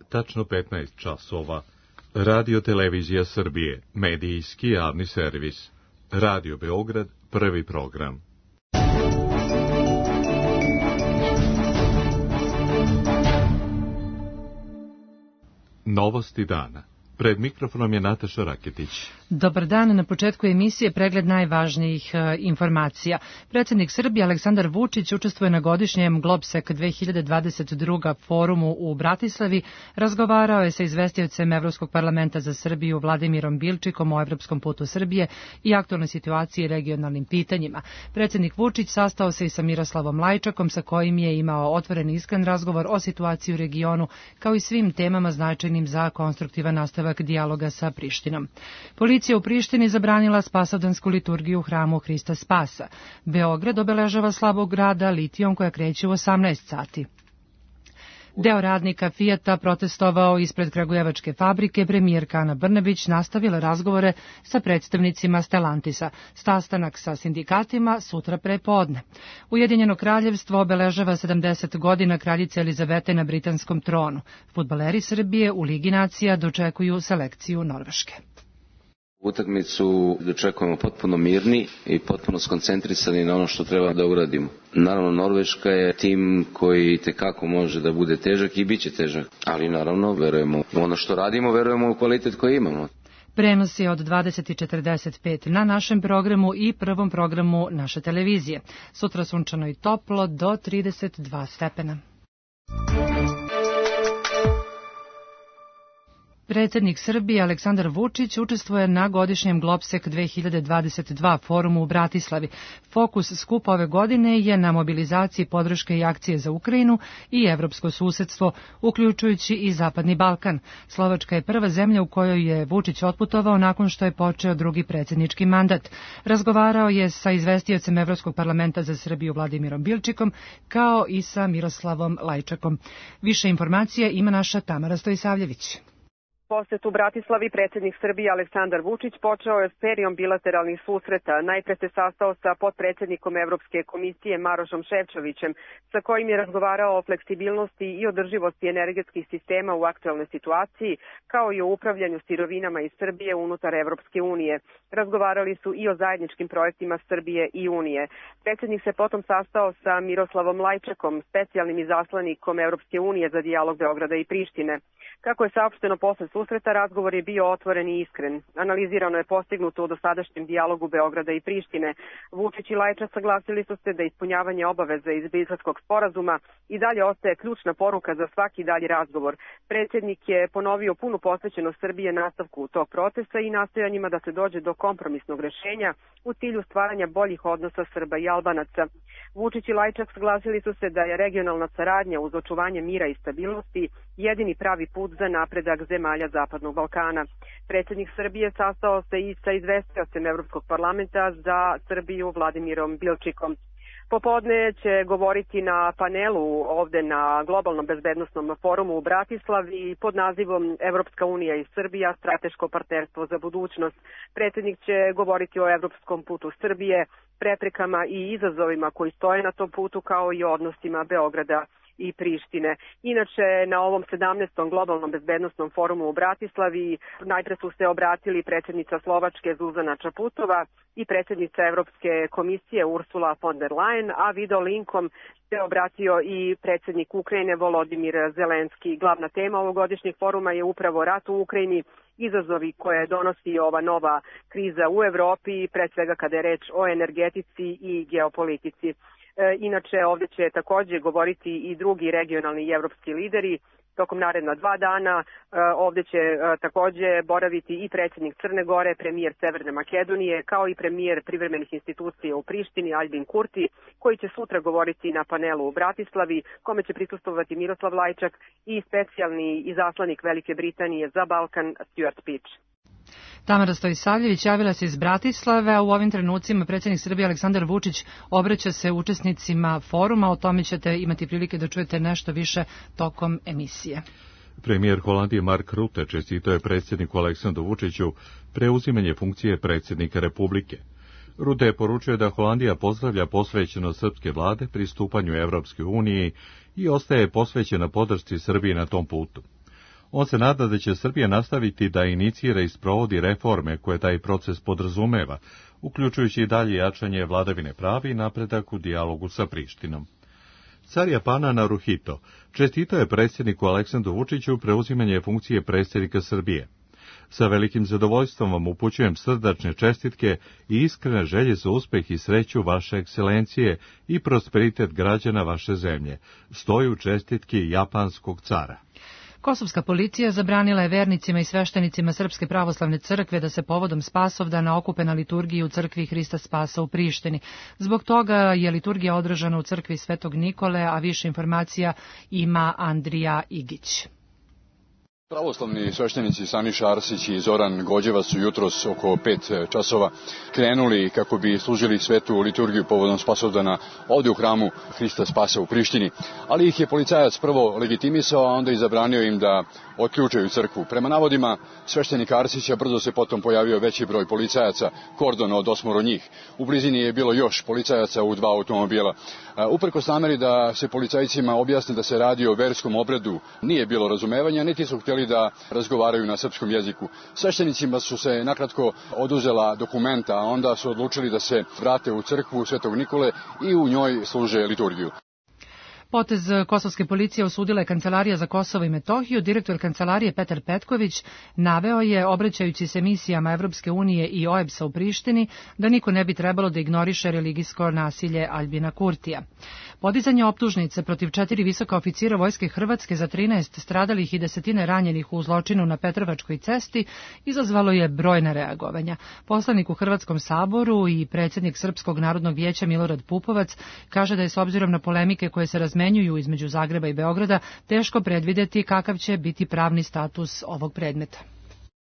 tačno 15 časova. Radio Televizija Srbije, medijski javni servis. Radio Beograd, prvi program. Novosti dana. Pred mikrofonom je Nataša Raketić. Dobar dan, na početku emisije pregled najvažnijih informacija. Predsjednik Srbije Aleksandar Vučić učestvuje na godišnjem Globsec 2022 forumu u Bratislavi. Razgovarao je sa izvestiocem Evropskog parlamenta za Srbiju Vladimirom Bilčikom o evropskom putu Srbije i aktualnoj situaciji i regionalnim pitanjima. Predsjednik Vučić sastao se i sa Miroslavom Lajčakom, sa kojim je imao otvoren i iskren razgovor o situaciji u regionu, kao i svim temama značajnim za konstruktivan nastavak dijaloga sa Prištinom. Policija u Prištini zabranila spasovdansku liturgiju u hramu Hrista Spasa. Beograd obeležava slabog grada litijom koja kreće u 18 sati. Deo radnika Fijata protestovao ispred kragujevačke fabrike. Premijerka Ana Brnabić nastavila razgovore sa predstavnicima Stellantisa. Sastanak sa sindikatima sutra prepodne. Ujedinjeno kraljevstvo obeležava 70 godina kraljice Elizavete na britanskom tronu. Fudbaleri Srbije u Ligi nacija dočekuju selekciju Norveške. Utakmicu dočekujemo potpuno mirni i potpuno skoncentrisani na ono što treba da uradimo. Naravno, Norveška je tim koji tekako može da bude težak i bit će težak, ali naravno verujemo u ono što radimo, verujemo u kvalitet koji imamo. Prenos je od 20:45 na našem programu i prvom programu naše televizije. Sutra sunčano i toplo do 32 stepena. Predsjednik Srbije Aleksandar Vučić učestvuje na godišnjem Globsec 2022 forumu u Bratislavi. Fokus skupa ove godine je na mobilizaciji podrške i akcije za Ukrajinu i evropsko susedstvo, uključujući i Zapadni Balkan. Slovačka je prva zemlja u kojoj je Vučić otputovao nakon što je počeo drugi predsjednički mandat. Razgovarao je sa izvestiocem Evropskog parlamenta za Srbiju Vladimirom Bilčikom, kao i sa Miroslavom Lajčakom. Više informacija ima naša Tamara Stojisavljević. Posjet u Bratislavi predsjednik Srbije Aleksandar Vučić počeo je serijom bilateralnih susreta. Najpre se sastao sa potpredsjednikom Evropske komisije Marošom Šefčovićem, sa kojim je razgovarao o fleksibilnosti i održivosti energetskih sistema u aktualnoj situaciji, kao i o upravljanju sirovinama iz Srbije unutar Evropske unije. Razgovarali su i o zajedničkim projektima Srbije i Unije. Predsjednik se potom sastao sa Miroslavom Lajčakom, specijalnim izaslanikom Evropske unije za dijalog Beograda i Prištine. Kako je saopšteno posle susreta, razgovor je bio otvoren i iskren. Analizirano je postignuto u dosadašnjem dijalogu Beograda i Prištine. Vučić i Lajčak saglasili su se da ispunjavanje obaveza iz Briselskog sporazuma i dalje ostaje ključna poruka za svaki dalji razgovor. Predsjednik je ponovio punu posvećenost Srbije nastavku tog procesa i nastojanjima da se dođe do kompromisnog rešenja u cilju stvaranja boljih odnosa Srba i Albanaca. Vučić i Lajčak saglasili su se da je regionalna saradnja uz očuvanje mira i stabilnosti jedini pravi put za napredak zemalja Zapadnog Balkana. Predsjednik Srbije sastao se i sa izvestiocem Evropskog parlamenta za Srbiju Vladimirom Bilčikom. Popodne će govoriti na panelu ovde na globalnom bezbednosnom forumu u Bratislavi pod nazivom Evropska unija i Srbija, strateško partnerstvo za budućnost. Predsjednik će govoriti o evropskom putu Srbije, preprekama i izazovima koji stoje na tom putu, kao i o odnosima Beograda i Prištine. Inače, na ovom 17. globalnom bezbednosnom forumu u Bratislavi najpre su se obratili predsjednica Slovačke Zuzana Čaputova i predsjednica Evropske komisije Ursula von der Leyen, a video linkom se obratio i predsjednik Ukrajine Volodimir Zelenski. Glavna tema ovogodišnjeg foruma je upravo rat u Ukrajini, izazovi koje donosi ova nova kriza u Evropi, pre svega kada je reč o energetici i geopolitici. Inače, ovdje će također govoriti i drugi regionalni i evropski lideri. Tokom naredna 2 dana ovdje će također boraviti i predsjednik Crne Gore, premijer Severne Makedonije, kao i premijer privremenih institucija u Prištini Aljbin Kurti, koji će sutra govoriti na panelu u Bratislavi, kome će prisustvovati Miroslav Lajčak i specijalni izaslanik Velike Britanije za Balkan Stuart Peach. Tamara Stojisavljević javila se iz Bratislave, a u ovim trenucima predsjednik Srbije Aleksandar Vučić obraća se učesnicima foruma. O tome ćete imati prilike da čujete nešto više tokom emisije. Premijer Holandije Mark Rutte čestitao je predsjedniku Aleksandru Vučiću preuzimanje funkcije predsjednika Republike. Rutte je poručio da Holandija pozdravlja posvećenost srpske vlade pristupanju Evropskoj uniji i ostaje posvećena podršci Srbiji na tom putu. On se nada da će Srbija nastaviti da inicira i sprovodi reforme koje taj proces podrazumeva, uključujući i dalje jačanje vladavine prava i napredak u dijalogu sa Prištinom. Car Japana Naruhito čestitao je predsjedniku Aleksandru Vučiću preuzimanje funkcije predsjednika Srbije. Sa velikim zadovoljstvom vam upućujem srdačne čestitke i iskrene želje za uspeh i sreću vaše ekscelencije i prosperitet građana vaše zemlje. Stoji u čestitki japanskog cara. Kosovska policija zabranila je vernicima i sveštenicima Srpske pravoslavne crkve da se povodom Spasovdana okupe na liturgiji u crkvi Hrista Spasa u Prištini. Zbog toga je liturgija održana u crkvi Svetog Nikole, a više informacija ima Andrija Igić. Pravoslavni sveštenici Saniša Arsić i Zoran Gođeva su jutros oko 5 časova krenuli kako bi služili svetu liturgiju povodom Spasovdana ovdje u hramu Hrista Spasa u Prištini. Ali ih je policajac prvo legitimisao, a onda i zabranio im da otključaju crkvu. Prema navodima sveštenika Arsića brzo se potom pojavio veći broj policajaca, kordon od 8 njih. U blizini je bilo još policajaca u 2 automobila. Uprkos nameri da se policajcima objasni da se radi o verskom obredu, nije bilo razumevanja, niti su htjeli da razgovaraju na srpskom jeziku. Sveštenicima su se nakratko oduzela dokumenta, a onda su odlučili da se vrate u crkvu Svetog Nikole i u njoj služe liturgiju. Potez kosovske policije osudila je Kancelarija za Kosovo i Metohiju. Direktor kancelarije Petar Petković naveo je, obraćajući se misijama Evropske unije i OEBS-a u Prištini, da niko ne bi trebalo da ignoriše religijsko nasilje Aljbina Kurtija. Podizanje optužnice protiv 4 visoka oficira Vojske Hrvatske za 13 stradalih i 10 ranjenih u zločinu na Petrovačkoj cesti izazvalo je brojna reagovanja. Poslanik u Hrvatskom saboru i predsjednik Srpskog narodnog vijeća Milorad Pupovac kaže da je s obzirom na polemike koje se razmenjuju između Zagreba i Beograda teško predvideti kakav će biti pravni status ovog predmeta.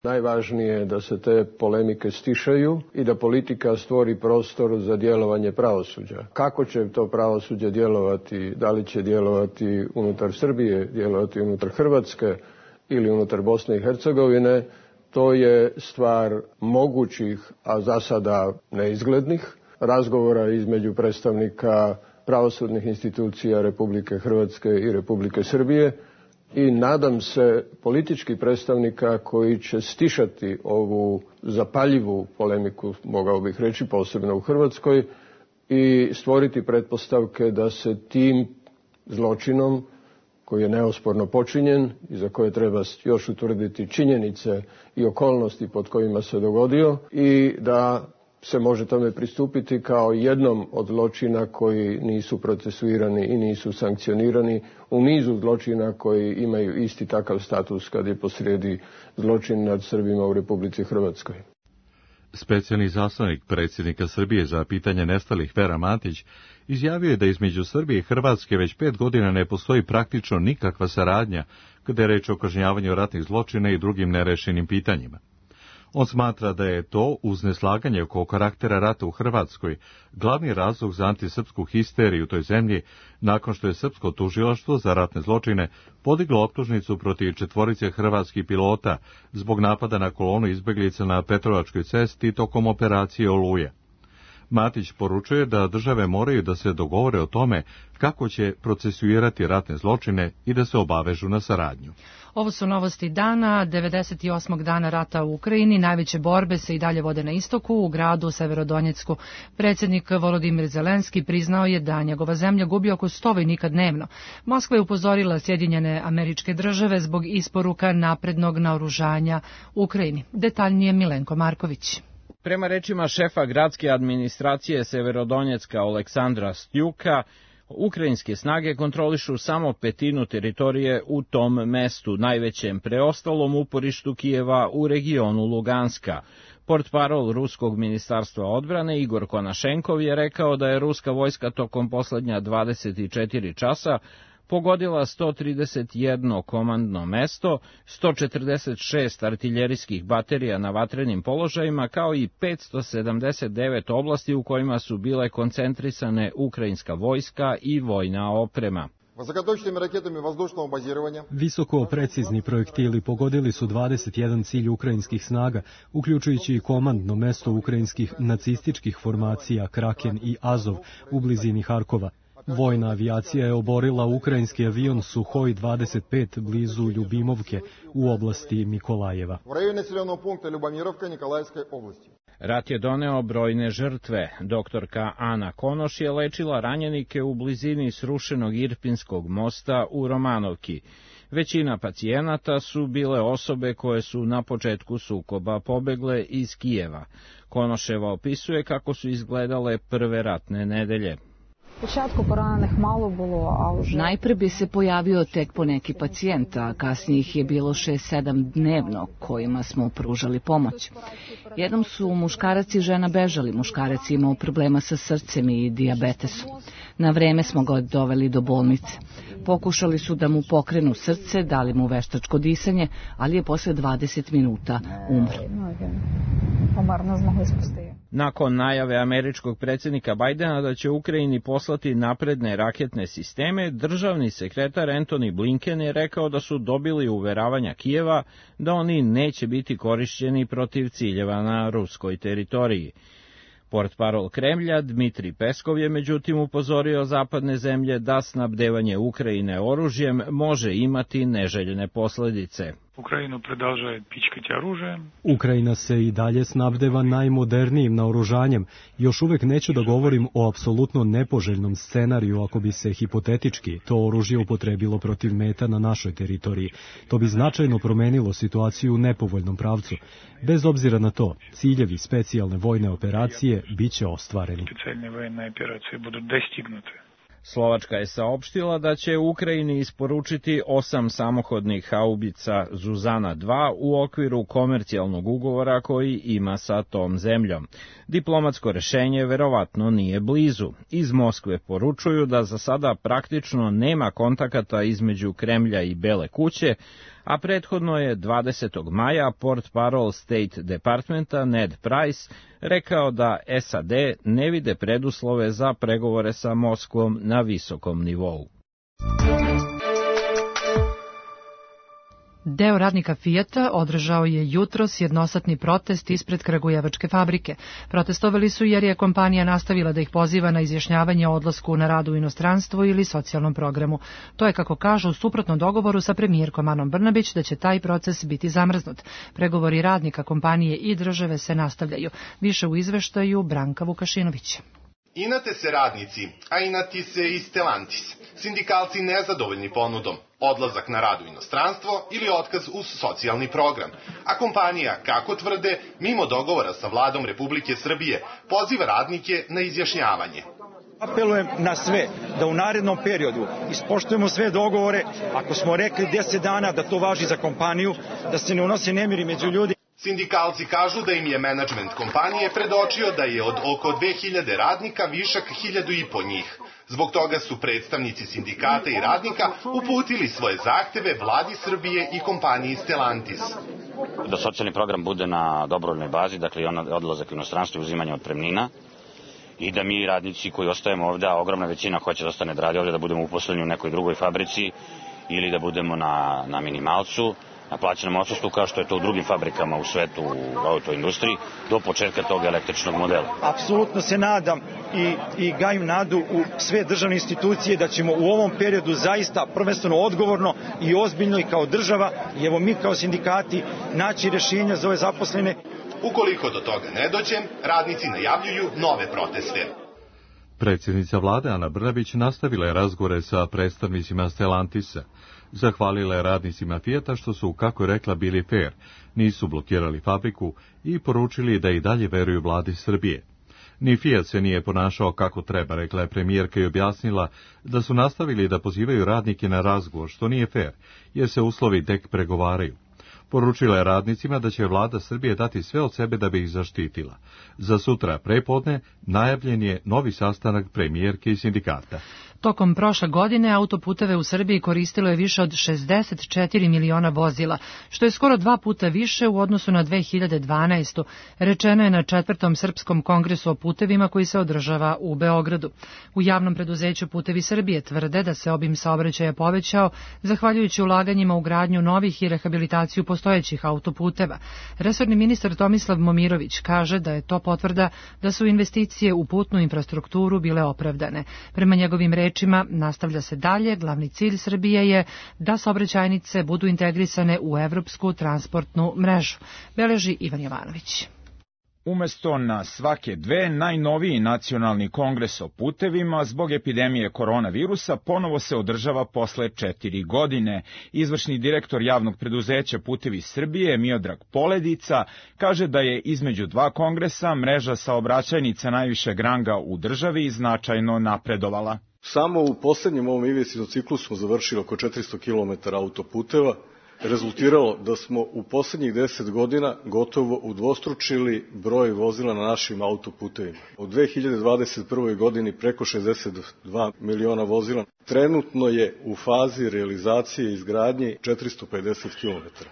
Najvažnije je da se te polemike stišaju i da politika stvori prostor za djelovanje pravosuđa. Kako će to pravosuđe djelovati, da li će djelovati unutar Srbije, djelovati unutar Hrvatske ili unutar Bosne i Hercegovine, to je stvar mogućih, a za sada neizglednih, razgovora između predstavnika pravosudnih institucija Republike Hrvatske i Republike Srbije i nadam se političkih predstavnika koji će stišati ovu zapaljivu polemiku, mogao bih reći, posebno u Hrvatskoj, i stvoriti pretpostavke da se tim zločinom, koji je neosporno počinjen i za koje treba još utvrditi činjenice i okolnosti pod kojima se dogodio, i da se može tome pristupiti kao jednom od zločina koji nisu procesuirani i nisu sankcionirani u nizu zločina koji imaju isti takav status kad je posrijedi zločin nad Srbima u Republici Hrvatskoj. Specijalni izaslanik predsjednika Srbije za pitanje nestalih Vera Matić izjavio je da između Srbije i Hrvatske već 5 godina ne postoji praktično nikakva saradnja kada je reč o kažnjavanju ratnih zločina i drugim nerešenim pitanjima. On smatra da je to, uz neslaganje oko karaktera rata u Hrvatskoj, glavni razlog za antisrpsku histeriju u toj zemlji, nakon što je srpsko tužilaštvo za ratne zločine podiglo optužnicu protiv 4 hrvatskih pilota zbog napada na kolonu izbeglica na Petrovačkoj cesti tokom operacije Oluja. Matić poručuje da države moraju da se dogovore o tome kako će procesuirati ratne zločine i da se obavežu na saradnju. Ovo su novosti dana, 98. dana rata u Ukrajini. Najveće borbe se i dalje vode na istoku, u gradu Severodonjecku. Predsjednik Volodimir Zelenski priznao je da njegova zemlja gubi oko 100 vojnika dnevno. Moskva je upozorila Sjedinjene Američke Države zbog isporuka naprednog naoružanja Ukrajini. Detaljnije Milenko Marković. Prema rečima šefa gradske administracije Severodonjecka Oleksandra Stjuka, ukrajinske snage kontrolišu samo 1/5 teritorije u tom mestu, najvećem preostalom uporištu Kijeva u regionu Luganska. Portparol Ruskog ministarstva odbrane Igor Konašenkov je rekao da je ruska vojska tokom poslednja 24 časa pogodila 131 komandno mesto, 146 artiljerijskih baterija na vatrenim položajima, kao i 579 oblasti u kojima su bile koncentrisane ukrajinska vojska i vojna oprema. Visoko precizni projektili pogodili su 21 cilj ukrajinskih snaga, uključujući i komandno mesto ukrajinskih nacističkih formacija Kraken i Azov u blizini Harkova. Vojna avijacija je oborila ukrajinski avion Suhoj 25 blizu Ljubimovke u oblasti Mikolajeva. Rat je doneo brojne žrtve. Doktorka Ana Konoš je lečila ranjenike u blizini srušenog Irpinskog mosta u Romanovki. Većina pacijenata su bile osobe koje su na početku sukoba pobegle iz Kijeva. Konoševa opisuje kako su izgledale prve ratne nedelje. Najpre bi se pojavio tek po neki pacijent, a kasnije ih je bilo 6-7 dnevno kojima smo pružali pomoć. Jednom su muškarac i žena bežali, muškarac imao problema sa srcem i dijabetesom. Na vreme smo ga doveli do bolnice. Pokušali su da mu pokrenu srce, dali mu veštačko disanje, ali je posle 20 minuta umro. Nakon najave američkog predsjednika Bajdena da će Ukrajini poslati napredne raketne sisteme, državni sekretar Antony Blinken je rekao da su dobili uveravanja Kijeva da oni neće biti korišćeni protiv ciljeva na ruskoj teritoriji. Portparol Kremlja Dmitri Peskov je međutim upozorio zapadne zemlje da snabdevanje Ukrajine oružjem može imati neželjene posljedice. Ukrajina se i dalje snabdeva najmodernijim naoružanjem. Još uvek neću da govorim o apsolutno nepoželjnom scenariju ako bi se hipotetički to oružje upotrebilo protiv meta na našoj teritoriji. To bi značajno promenilo situaciju u nepovoljnom pravcu. Bez obzira na to, ciljevi specijalne vojne operacije biće ostvareni. Slovačka je saopštila da će Ukrajini isporučiti 8 samohodnih haubica Zuzana 2 u okviru komercijalnog ugovora koji ima sa tom zemljom. Diplomatsko rešenje verovatno nije blizu. Iz Moskve poručuju da za sada praktično nema kontakata između Kremlja i Bele kuće, a prethodno je 20. maja portparol State Departmenta Ned Price rekao da SAD ne vide preduslove za pregovore sa Moskvom na visokom nivou. Deo radnika Fijata održao je jutros jednosatni protest ispred kragujevačke fabrike. Protestovali su jer je kompanija nastavila da ih poziva na izjašnjavanje o odlasku na rad u inostranstvo ili socijalnom programu. To je, kako kažu, suprotno dogovoru sa premijerkom Anom Brnabić da će taj proces biti zamrznut. Pregovori radnika kompanije i države se nastavljaju. Više u izveštaju Branka Vukašinović. Inate se radnici, a inati se i Stellantis. Sindikalci nezadovoljni ponudom, odlazak na rad u inostranstvo ili otkaz uz socijalni program. A kompanija, kako tvrde, mimo dogovora sa vladom Republike Srbije, poziva radnike na izjašnjavanje. Apelujem na sve da u narednom periodu ispoštujemo sve dogovore. Ako smo rekli 10 dana da to važi za kompaniju, da se ne unose nemiri među ljudi. Sindikalci kažu da im je menadžment kompanije predočio da je od oko 2000 radnika višak 1500 njih. Zbog toga su predstavnici sindikata i radnika uputili svoje zahteve vladi Srbije i kompaniji Stellantis. Da socijalni program bude na dobrovoljnoj bazi, dakle i odlazak u inostranstvo i uzimanje otpremnina, i da mi radnici koji ostajemo ovde, a ogromna većina hoće da ostane da radi ovde, da budemo uposleni u nekoj drugoj fabrici ili da budemo na minimalcu, na plaćenom odsustvu, kao što je to u drugim fabrikama u svetu, u autoindustriji, do početka tog električnog modela. Apsolutno se nadam i gajim nadu u sve državne institucije da ćemo u ovom periodu zaista prvenstveno odgovorno i ozbiljno i kao država, i evo mi kao sindikati, naći rješenja za ove zaposlene. Ukoliko do toga ne dođe, radnici najavljuju nove proteste. Predsjednica vlade Ana Brnabić nastavila je razgovore sa predstavnicima Stellantisa. Zahvalila je radnicima Fijata što su, kako je rekla, bili fair, nisu blokirali fabriku i poručili da i dalje veruju vladi Srbije. Ni Fijat se nije ponašao kako treba, rekla je premijerka i objasnila da su nastavili da pozivaju radnike na razgovor, što nije fair, jer se uslovi tek pregovaraju. Poručila je radnicima da će vlada Srbije dati sve od sebe da bi ih zaštitila. Za sutra prepodne najavljen je novi sastanak premijerke i sindikata. Tokom prošle godine autoputeve u Srbiji koristilo je više od 64 miliona vozila, što je skoro 2 puta više u odnosu na 2012. Rečeno je na 4. Srpskom kongresu o putevima koji se održava u Beogradu. U javnom preduzeću Putevi Srbije tvrde da se obim saobraćaja povećao zahvaljujući ulaganjima u gradnju novih i rehabilitaciju postojećih autoputeva. Resorni ministar Tomislav Momirović kaže da je to potvrda da su investicije u putnu infrastrukturu bile opravdane. Prema njegovim rečima, rečima, nastavlja se dalje, glavni cilj Srbije je da saobraćajnice budu integrisane u evropsku transportnu mrežu, beleži Ivan Jovanović. Umesto na svake dve, najnoviji nacionalni kongres o putevima zbog epidemije koronavirusa ponovo se održava posle 4 godine. Izvršni direktor javnog preduzeća Putevi Srbije, Miodrag Poledica, kaže da je između dva kongresa mreža saobraćajnica najvišeg ranga u državi značajno napredovala. Samo u poslednjem ovom investicionom ciklusu smo završili oko 400 km autoputeva, rezultiralo da smo u poslednjih 10 godina gotovo udvostručili broj vozila na našim autoputevima. U 2021. godini preko 62 miliona vozila. Trenutno je u fazi realizacije i izgradnje 450 km.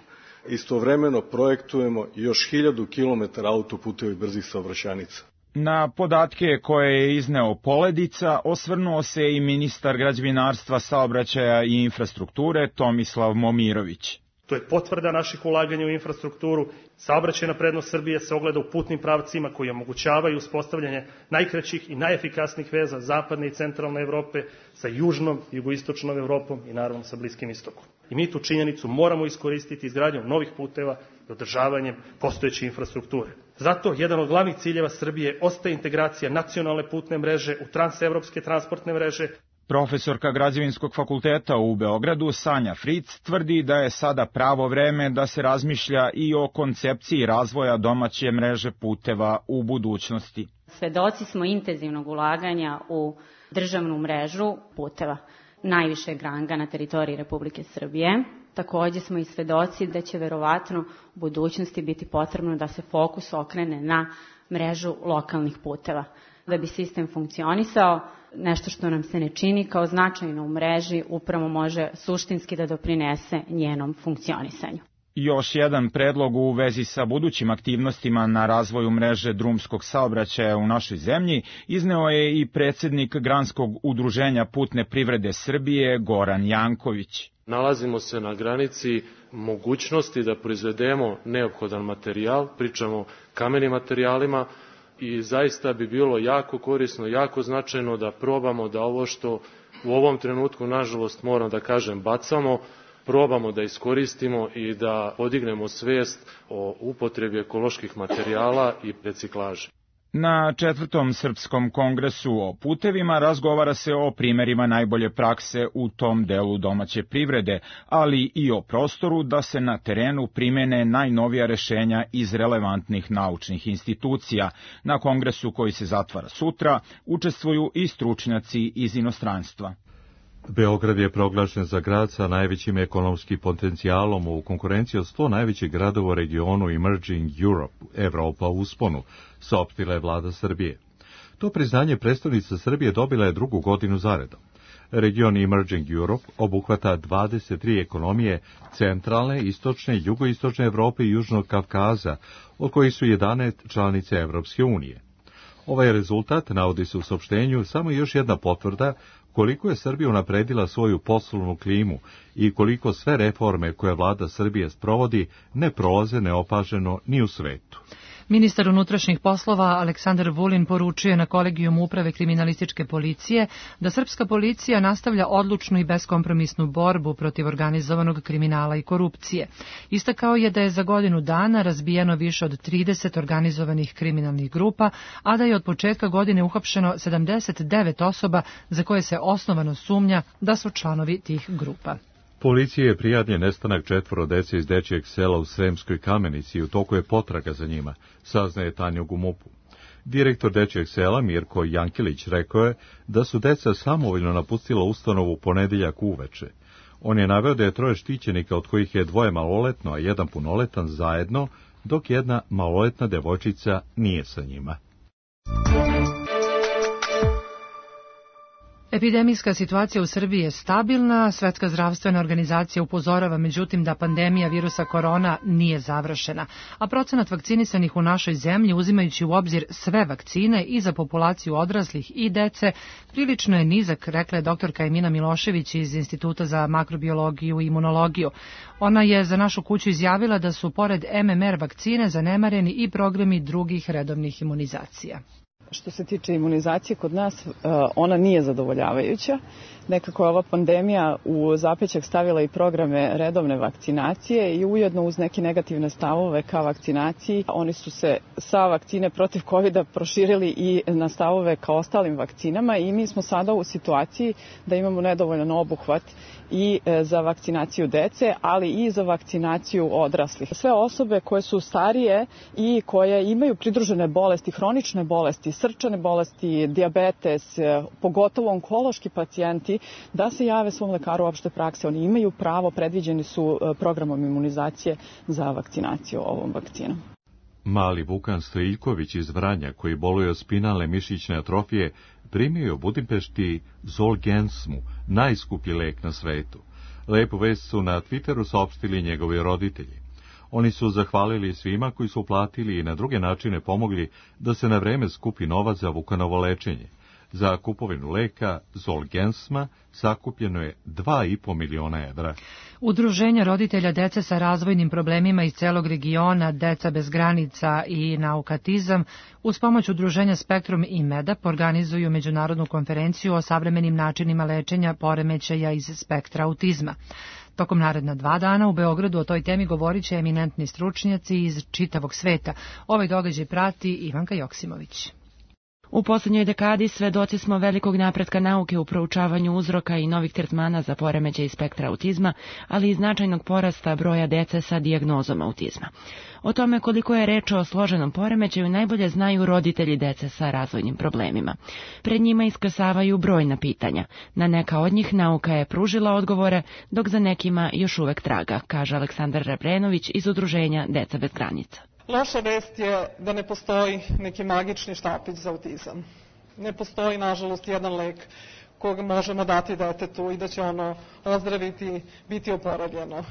Istovremeno projektujemo još 1000 km autoputeva i brzih saobraćajnica. Na podatke koje je izneo Poledica osvrnuo se i ministar građevinarstva, saobraćaja i infrastrukture Tomislav Momirović. To je potvrda naših ulaganja u infrastrukturu. Saobraćajna prednost Srbije se ogleda u putnim pravcima koji omogućavaju uspostavljanje najkraćih i najefikasnijih veza zapadne i centralne Evrope sa južnom, jugoistočnom Evropom i naravno sa Bliskim istokom. I mi tu činjenicu moramo iskoristiti izgradnjom novih puteva i održavanjem postojeće infrastrukture. Zato jedan od glavnih ciljeva Srbije ostaje integracija nacionalne putne mreže u transevropske transportne mreže. Profesorka Građevinskog fakulteta u Beogradu Sanja Fric tvrdi da je sada pravo vreme da se razmišlja i o koncepciji razvoja domaće mreže puteva u budućnosti. Svedoci smo intenzivnog ulaganja u državnu mrežu puteva najvišeg ranga na teritoriji Republike Srbije. Takođe smo i svedoci da će verovatno u budućnosti biti potrebno da se fokus okrene na mrežu lokalnih puteva. Da bi sistem funkcionisao, nešto što nam se ne čini kao značajno u mreži upravo može suštinski da doprinese njenom funkcionisanju. Još jedan predlog u vezi sa budućim aktivnostima na razvoju mreže drumskog saobraćaja u našoj zemlji izneo je i predsednik Granskog udruženja putne privrede Srbije Goran Janković. Nalazimo se na granici mogućnosti da proizvedemo neophodan materijal, pričamo o kamenim materijalima, i zaista bi bilo jako korisno, jako značajno da probamo da ovo što u ovom trenutku, nažalost, moram da kažem, bacamo, probamo da iskoristimo i da podignemo svest o upotrebi ekoloških materijala i reciklaže. Na 4. Srpskom kongresu o putevima razgovara se o primerima najbolje prakse u tom delu domaće privrede, ali i o prostoru da se na terenu primene najnovija rešenja iz relevantnih naučnih institucija. Na kongresu koji se zatvara sutra učestvuju i stručnjaci iz inostranstva. Beograd je proglašen za grad sa najvećim ekonomskim potencijalom u konkurenciji od 100 najvećih gradova u regionu Emerging Europe, Evropa u usponu, saopštila je vlada Srbije. To priznanje predstavnica Srbije dobila je 2. godinu zaredom. Region Emerging Europe obuhvata 23 ekonomije centralne, istočne, jugoistočne Evrope i Južnog Kavkaza, od kojih su 11 članice Evropske unije. Ovaj rezultat, navodi se u saopštenju, samo još jedna potvrda koliko je Srbija unapredila svoju poslovnu klimu i koliko sve reforme koje vlada Srbije sprovodi ne prolaze neopaženo ni u svetu. Ministar unutrašnjih poslova Aleksandar Vulin poručuje na kolegijumu uprave kriminalističke policije da srpska policija nastavlja odlučnu i beskompromisnu borbu protiv organizovanog kriminala i korupcije. Istakao je da je za godinu dana razbijeno više od 30 organizovanih kriminalnih grupa, a da je od početka godine uhapšeno 79 osoba za koje se osnovano sumnja da su članovi tih grupa. Policija je prijavljen nestanak 4 dece iz dečijeg sela u Sremskoj Kamenici i u toku je potraga za njima, saznaje Tanjug u MUP-u. Direktor dečijeg sela Mirko Jankilić rekao je da su deca samovoljno napustila ustanovu u ponedeljak uveče. On je naveo da je 3 štićenika, od kojih je 2 maloletno, a 1 punoletan zajedno, dok 1 maloletna devojčica nije sa njima. Epidemijska situacija u Srbiji je stabilna. Svetska zdravstvena organizacija upozorava međutim da pandemija virusa korona nije završena, a procenat vakcinisanih u našoj zemlji, uzimajući u obzir sve vakcine i za populaciju odraslih i dece, prilično je nizak, rekla je doktorka Emina Milošević iz Instituta za makrobiologiju i imunologiju. Ona je za našu kuću izjavila da su pored MMR vakcine zanemareni i programi drugih redovnih imunizacija. Što se tiče imunizacije kod nas, ona nije zadovoljavajuća. Nekako je ova pandemija u zapećak stavila i programe redovne vakcinacije i ujedno uz neke negativne stavove ka vakcinaciji. Oni su se sa vakcine protiv COVID-a proširili i na stavove ka ostalim vakcinama i mi smo sada u situaciji da imamo nedovoljan obuhvat i za vakcinaciju dece, ali i za vakcinaciju odraslih. Sve osobe koje su starije i koje imaju pridružene bolesti, hronične bolesti, srčane bolesti, dijabetes, pogotovo onkološki pacijenti, da se jave svom lekaru opšte prakse. Oni imaju pravo, predviđeni su programom imunizacije za vakcinaciju ovom vakcinom. Mali Vukan Stojiljković iz Vranja, koji boluje od spinalne mišićne atrofije, primio je u Budimpešti Zolgensmu, najskuplji lek na svetu. Lepu vest su na Twitteru saopštili njegovi roditelji. Oni su zahvalili svima koji su uplatili i na druge načine pomogli da se na vreme skupi novac za Vukanovo lečenje. Za kupovinu leka Zolgensma sakupljeno je 2,5 miliona evra. Udruženja roditelja dece sa razvojnim problemima iz celog regiona, Deca bez granica i Naukatizam, uz pomoć udruženja Spektrum i MEDAP organizuju međunarodnu konferenciju o savremenim načinima lečenja poremećaja iz spektra autizma. Tokom naredna 2 dana u Beogradu o toj temi govorit će eminentni stručnjaci iz čitavog sveta. Ovaj događaj prati Ivanka Joksimović. U poslednjoj dekadi svedoci smo velikog napretka nauke u proučavanju uzroka i novih tretmana za poremećaj spektra autizma, ali i značajnog porasta broja dece sa dijagnozom autizma. O tome koliko je reč o složenom poremećaju najbolje znaju roditelji dece sa razvojnim problemima. Pred njima iskrsavaju brojna pitanja. Na neka od njih nauka je pružila odgovore, dok za nekima još uvek traga, kaže Aleksandar Rebrenović iz udruženja Deca bez granica. Loša vest je da ne postoji neki magični štapić za autizam. Ne postoji, nažalost, jedan lek kog možemo dati detetu i da će ono ozdraviti, biti oporavljeno.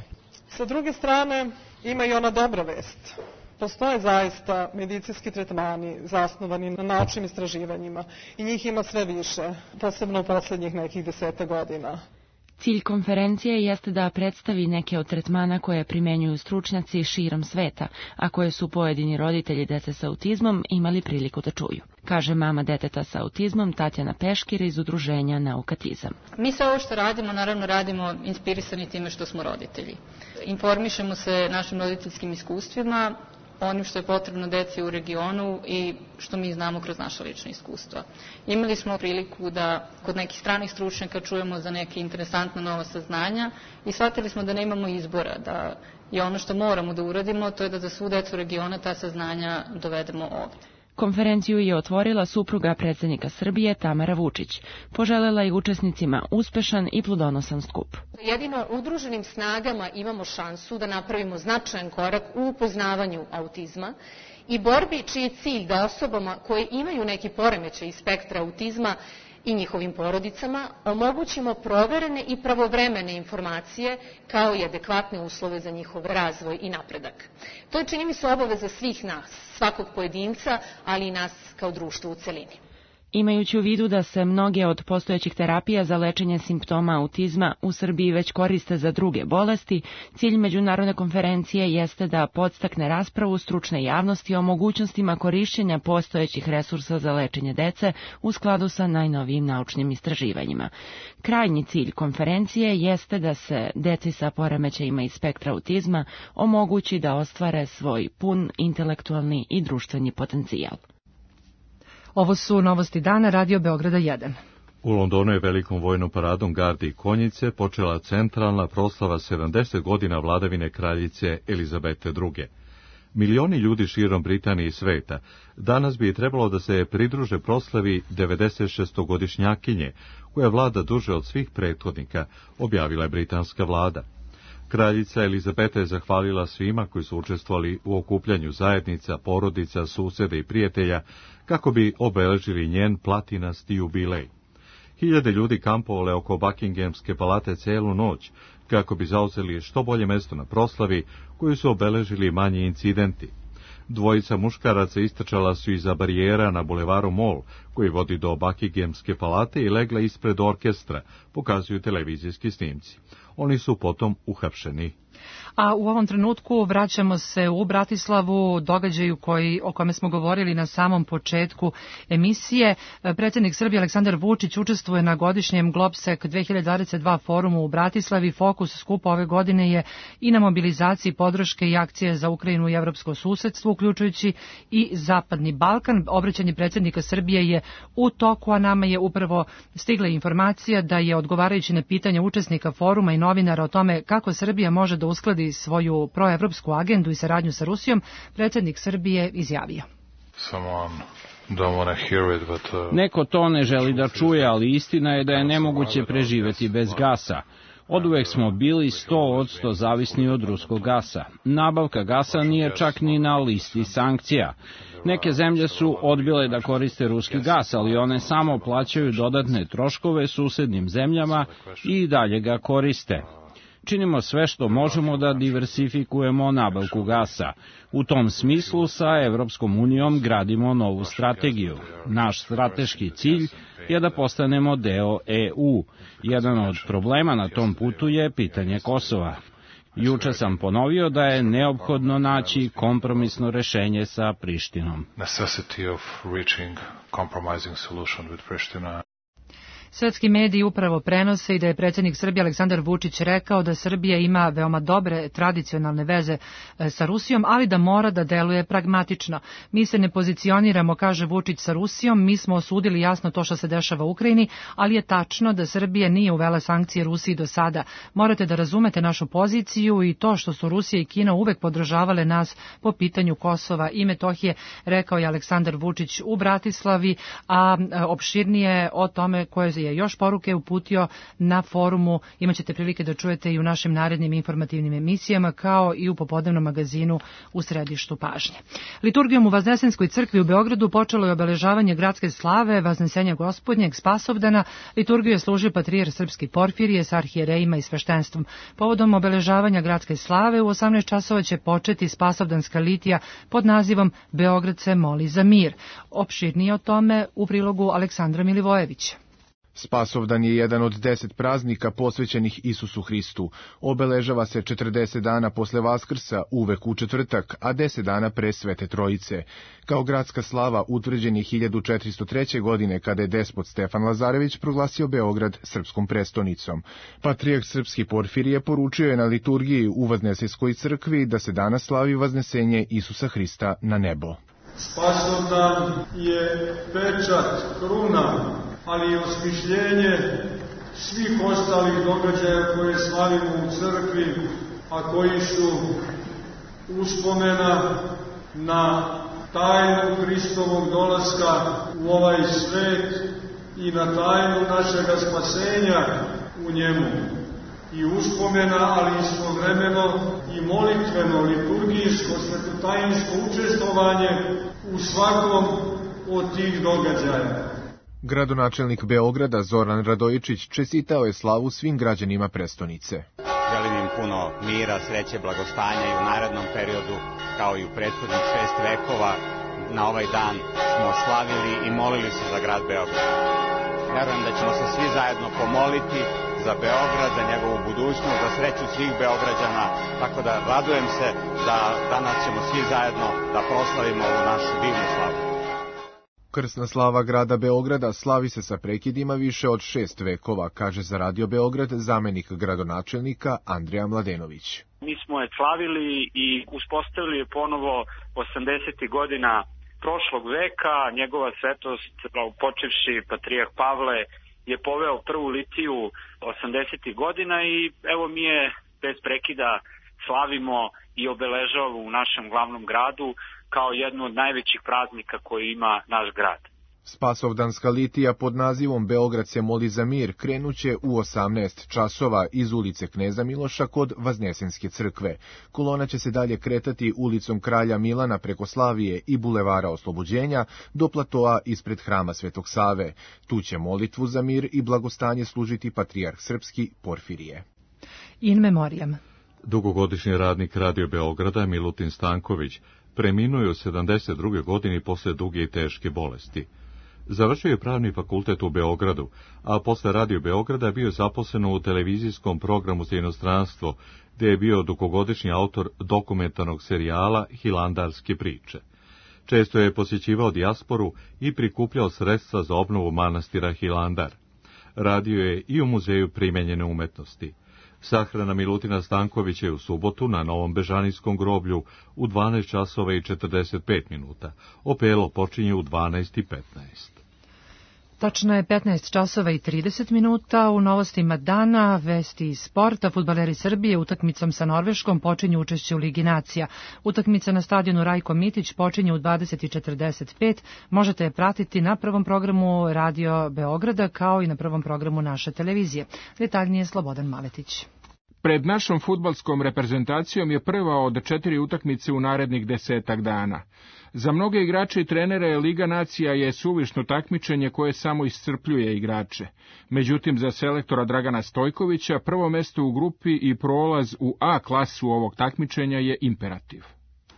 Sa druge strane, ima i ona dobra vest. Postoje zaista medicinski tretmani zasnovani na naučnim istraživanjima i njih ima sve više, posebno u poslednjih nekih 10 godina. Cilj konferencije jeste da predstavi neke od tretmana koje primenjuju stručnjaci širom sveta, a koje su pojedini roditelji dece sa autizmom imali priliku da čuju, kaže mama deteta sa autizmom Tatjana Peškir iz udruženja Naukatizam. Mi sve ovo što radimo, naravno radimo inspirisani time što smo roditelji. Informišemo se našim roditeljskim iskustvima, onim što je potrebno deci u regionu i što mi znamo kroz naša lična iskustva. Imali smo priliku da kod nekih stranih stručnjaka čujemo za neke interesantna nova saznanja i shvatili smo da nemamo izbora, da je ono što moramo da uradimo, to je da za svu decu regiona ta saznanja dovedemo ovde. Konferenciju je otvorila supruga predsjednika Srbije Tamara Vučić. Poželela je učesnicima uspešan i plodonosan skup. Jedino udruženim snagama imamo šansu da napravimo značajan korak u upoznavanju autizma i borbi čiji je cilj da osobama koje imaju neki poremećaj iz spektra autizma i njihovim porodicama omogućimo proverene i pravovremene informacije kao i adekvatne uslove za njihov razvoj i napredak. To je, čini mi se, obaveza svih nas, svakog pojedinca, ali i nas kao društva u celini. Imajući u vidu da se mnoge od postojećih terapija za lečenje simptoma autizma u Srbiji već koriste za druge bolesti, cilj međunarodne konferencije jeste da podstakne raspravu stručne javnosti o mogućnostima korišćenja postojećih resursa za lečenje dece u skladu sa najnovijim naučnim istraživanjima. Krajnji cilj konferencije jeste da se deci sa poremećajima iz spektra autizma omogući da ostvare svoj pun intelektualni i društveni potencijal. Ovo su novosti dana Radio Beograda 1. U Londonu je velikom vojnom paradom gardi i konjice počela centralna proslava 70 godina vladavine kraljice Elizabete II. Milioni ljudi širom Britanije i sveta danas bi trebalo da se pridruže proslavi 96-godišnjakinje, koja vlada duže od svih prethodnika, objavila je britanska vlada. Kraljica Elizabeta je zahvalila svima koji su učestvovali u okupljanju zajednica, porodica, suseda i prijatelja kako bi obeležili njen platinasti jubilej. Hiljade ljudi kampovale oko Buckinghamske palate celu noć kako bi zauzeli što bolje mesto na proslavi koju su obeležili manji incidenti. Dvojica muškaraca istrčala su iza barijera na bulevaru Mall, koji vodi do Buckinghamske palate i legla ispred orkestra, pokazuju televizijski snimci. Oni su potom uhapšeni. A u ovom trenutku vraćamo se u Bratislavu, događaju o kome smo govorili na samom početku emisije. Predsjednik Srbije Aleksandar Vučić učestvuje na godišnjem Globsec 2022 forumu u Bratislavi. Fokus skupa ove godine je i na mobilizaciji podrške i akcije za Ukrajinu i evropsko susedstvo, uključujući i Zapadni Balkan. Obraćanje predsjednika Srbije je u toku, a nama je upravo stigla informacija da je, odgovarajući na pitanje učesnika foruma i novinara o tome kako Srbija može da uskladi svoju proevropsku agendu i saradnju sa Rusijom, predsjednik Srbije izjavio. Neko to ne želi da čuje, ali istina je da je nemoguće preživeti bez gasa. Oduvek smo bili 100% zavisni od ruskog gasa. Nabavka gasa nije čak ni na listi sankcija. Neke zemlje su odbile da koriste ruski gas, ali one samo plaćaju dodatne troškove susednim zemljama i dalje ga koriste. Činimo sve što možemo da diversifikujemo nabavku gasa. U tom smislu sa Evropskom unijom gradimo novu strategiju. Naš strateški cilj je da postanemo deo EU. Jedan od problema na tom putu je pitanje Kosova. Juče sam ponovio da je neophodno naći kompromisno rešenje sa Prištinom. Svetski mediji upravo prenose i da je predsjednik Srbije Aleksandar Vučić rekao da Srbija ima veoma dobre tradicionalne veze sa Rusijom, ali da mora da deluje pragmatično. Mi se ne pozicioniramo, kaže Vučić, sa Rusijom, mi smo osudili jasno to što se dešava u Ukrajini, ali je tačno da Srbija nije uvela sankcije Rusiji do sada. Morate da razumete našu poziciju i to što su Rusija i Kina uvek podržavale nas po pitanju Kosova i Metohije, rekao je Aleksandar Vučić u Bratislavi, a opširnije o tome koje je još poruke uputio na forumu imaćete prilike da čujete i u našim narednim informativnim emisijama, kao i u popodnevnom magazinu u središtu pažnje. Liturgijom u Vaznesenskoj crkvi u Beogradu počelo je obeležavanje gradske slave Vaznesenja Gospodnjeg Spasovdana. Liturgiju je služio patrijarh srpski Porfirije sa arhijerejima i sveštenstvom. Povodom obeležavanja gradske slave u 18 časova će početi Spasovdanska litija pod nazivom Beograd se moli za mir. Opširnije o tome u prilogu Aleksandra Milivojevića. Spasovdan je jedan od 10 praznika posvećenih Isusu Hristu. Obeležava se 40 dana posle Vaskrsa, uvek u četvrtak, a 10 dana pre Svete Trojice. Kao gradska slava utvrđen je 1403. godine kada je despot Stefan Lazarević proglasio Beograd srpskom prestonicom. Patrijarh srpski Porfirije poručio je na liturgiji u Vaznesenskoj crkvi da se danas slavi vaznesenje Isusa Hrista na nebo. Spasovdan je pečat, kruna, ali i osmišljenje svih ostalih događaja koje slavimo u crkvi, a koji su uspomena na tajnu Hristovog dolaska u ovaj svet i na tajnu našega spasenja u njemu. I uspomena, ali istovremeno i molitveno, liturgijsko, svetotajinsko učestvovanje u svakom od tih događaja. Gradonačelnik Beograda Zoran Radojičić čestitao je slavu svim građanima prestonice. Želim im puno mira, sreće, blagostanja i u narednom periodu, kao i u prethodnih 6 vekova, na ovaj dan smo slavili i molili se za grad Beograd. Verujem da ćemo se svi zajedno pomoliti za Beograd, za njegovu budućnost, za sreću svih Beograđana, tako da radujem se da danas ćemo svi zajedno da proslavimo ovu našu divnu slavu. Krsna slava grada Beograda slavi se sa prekidima više od 6 vekova, kaže za Radio Beograd zamenik gradonačelnika Andrija Mladenović. Mi smo je slavili i uspostavili je ponovo 80. godina prošlog veka. Njegova svetost, počevši patrijarh Pavle, je poveo prvu litiju 80. godina i evo mi je bez prekida slavimo i obeležavamo u našem glavnom gradu kao jednu od najvećih praznika koji ima naš grad. Spasovdanska litija pod nazivom Beograd se moli za mir krenuće u 18 časova iz ulice Kneza Miloša kod Vaznesenske crkve. Kolona će se dalje kretati ulicom Kralja Milana preko Slavije i Bulevara Oslobođenja do platoa ispred Hrama Svetog Save. Tu će molitvu za mir i blagostanje služiti patrijarh srpski Porfirije. In memoriam. Dugogodišnji radnik Radio Beograda Milutin Stanković preminuo je u 72. godini posle duge i teške bolesti. Završio je pravni fakultet u Beogradu, a posle Radio Beograda bio zaposlen u televizijskom programu za inostranstvo, gde je bio dugogodišnji autor dokumentarnog serijala Hilandarske priče. Često je posjećivao dijasporu i prikupljao sredstva za obnovu manastira Hilandar. Radio je i u Muzeju primenjene umetnosti. Sahrana Milutina Stankovića je u subotu na Novom Bežanijskom groblju u 12 časova i 45 minuta. Opelo počinje u 12:15. Tačno je 15 časova i 30 minuta. U novostima dana, vesti iz sporta, fudbaleri Srbije utakmicom sa Norveškom počinju učešće u Ligi nacija. Utakmica na stadionu Rajko Mitić počinje u 20:45. Možete je pratiti na prvom programu Radio Beograda kao i na prvom programu naše televizije. Detaljnije Slobodan Maletić. Pred našom fudbalskom reprezentacijom je prva od 4 utakmice u narednih 10 dana. Za mnoge igrače i trenere Liga nacija je suvišno takmičenje koje samo iscrpljuje igrače. Međutim, za selektora Dragana Stojkovića prvo mesto u grupi i prolaz u A klasu ovog takmičenja je imperativ.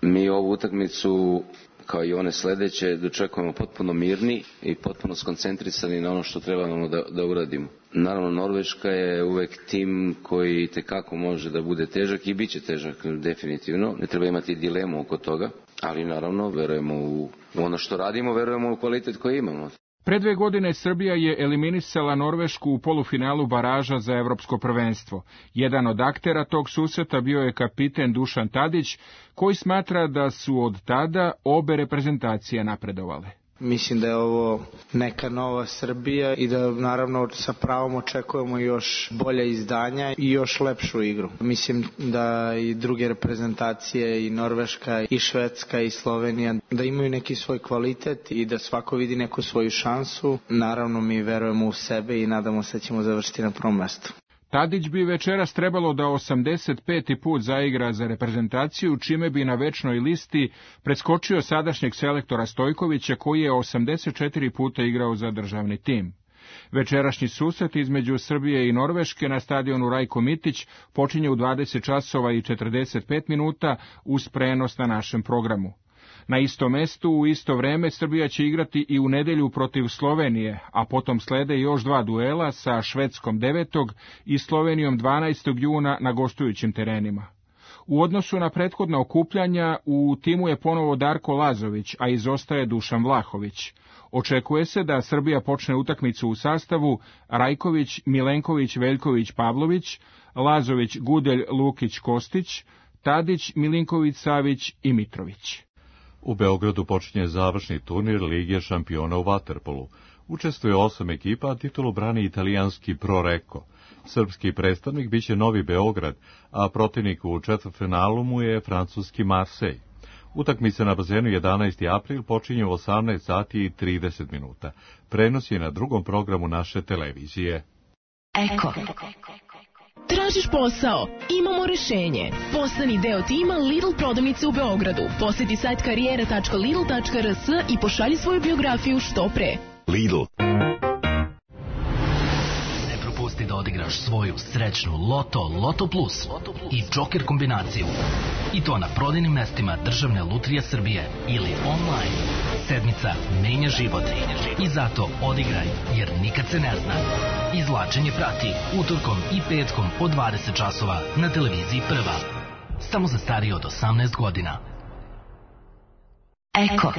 Mi ovu utakmicu, kao i one sledeće, dočekujemo potpuno mirni i potpuno skoncentrisani na ono što trebamo da uradimo. Naravno, Norveška je uvek tim koji tekako može da bude težak i bit će težak definitivno. Ne treba imati dilemu oko toga, ali naravno verujemo u ono što radimo, verujemo u kvalitet koji imamo. Pre 2 godine Srbija je eliminisala Norvešku u polufinalu baraža za evropsko prvenstvo. Jedan od aktera tog susreta bio je kapiten Dušan Tadić, koji smatra da su od tada obe reprezentacije napredovale. Mislim da je ovo neka nova Srbija i da naravno sa pravom očekujemo još bolja izdanja i još lepšu igru. Mislim da i druge reprezentacije, i Norveška, i Švedska, i Slovenija, da imaju neki svoj kvalitet i da svako vidi neku svoju šansu. Naravno mi verujemo u sebe i nadamo se da ćemo završiti na prvom mestu. Tadić bi večeras trebalo da 85. put zaigra za reprezentaciju, čime bi na večnoj listi preskočio sadašnjeg selektora Stojkovića, koji je 84 puta igrao za državni tim. Večerašnji susret između Srbije i Norveške na stadionu Rajko Mitić počinje u 20 časova i 45 minuta uz prenos na našem programu. Na istom mestu, u isto vreme, Srbija će igrati i u nedelju protiv Slovenije, a potom slede još 2 duela sa Švedskom 9. i Slovenijom 12. juna na gostujućim terenima. U odnosu na prethodna okupljanja, u timu je ponovo Darko Lazović, a izostaje Dušan Vlahović. Očekuje se da Srbija počne utakmicu u sastavu Rajković, Milenković, Veljković, Pavlović, Lazović, Gudelj, Lukić, Kostić, Tadić, Milinković, Savić i Mitrović. U Beogradu počinje završni turnir Lige šampiona u vaterpolu. Učestvuje 8 ekipa, a titulu brani italijanski Pro Recco. Srpski predstavnik biće Novi Beograd, a protivnik u četvrtfinalu mu je francuski Marseille. Utakmica na bazenu 11. april počinje u 18 sati i 30 minuta. Prenos je na drugom programu naše televizije. Eko. Tražiš posao? Imamo rešenje. Postani deo tima Lidl prodavnice u Beogradu. Poseti sajt karijera.lidl.rs i pošalji svoju biografiju što pre. Lidl. Ne propusti da odigraš svoju srećnu Loto Plus i Joker kombinaciju. I to na prodajnim mestima Državne lutrije Srbije ili online. Sedmica menja život. I zato odigraj, jer nikad se ne zna. Izvlačenje prati utorkom i petkom od 20 časova na televiziji Prva. Samo za starije od 18 godina. Eko.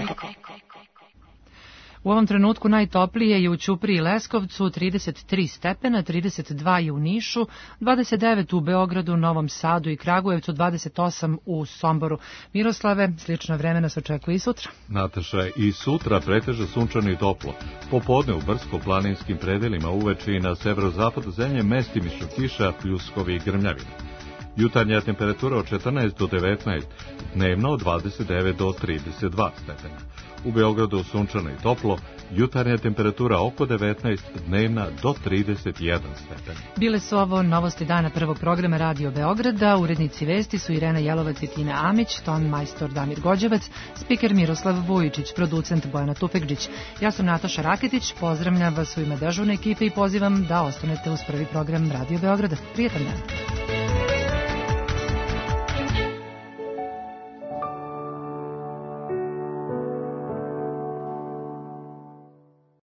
U ovom trenutku najtoplije je u Ćupriji i Leskovcu 33 stepena, 32 je u Nišu, 29 u Beogradu, Novom Sadu i Kragujevcu, 28 u Somboru. Miroslave, slično vreme nas očekuje i sutra. Nataša, i sutra preteže sunčano i toplo. Popodne u brdsko-planinskim predelima, uveče i na severozapadu zemlje mestimično kiša, pljuskovi i grmljavine. Jutarnja temperatura od 14 do 19, dnevno od 29 do 32 stepena. U Beogradu sunčano i toplo, jutarnja temperatura oko 19, dnevna do 31 stepen. Bile su ovo novosti dana prvog programa Radio Beograda. Urednici vesti su Irena Jelovac i Tina Amić, ton majstor Damir Gođevac, spiker Miroslav Vujičić, producent Bojana Tufekđić. Ja sam Nataša Raketić, pozdravljam vas u ime dežurne ekipe i pozivam da ostanete uz prvi program Radio Beograda. Prijetan dan.